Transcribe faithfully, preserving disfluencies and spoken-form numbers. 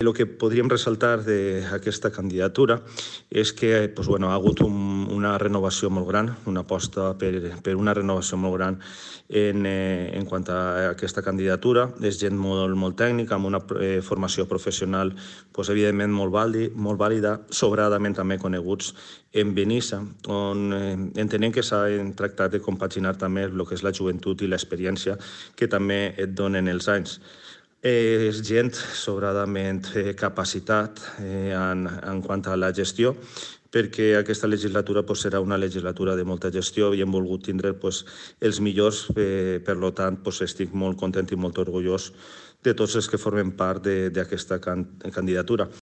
El que podríem ressaltar d'aquesta candidatura és que doncs, bueno, ha hagut un, una renovació molt gran, una aposta per, per una renovació molt gran en, eh, en quant a aquesta candidatura. És gent molt, molt tècnica, amb una eh, formació professional doncs, evidentment molt, vàlid, molt vàlida, sobradament també coneguts en Benissa, on eh, entenem que s'ha tractat de compaginar també el que és la joventut i l'experiència que també et donen els anys. Eh, és gent sobradament eh, capacitat eh, en, en quant a la gestió, perquè aquesta legislatura pues, serà una legislatura de molta gestió i hem volgut tindre pues, els millors. Eh, per tant, pues, estic molt content i molt orgullós de tots els que formen part d'aquesta can candidatura.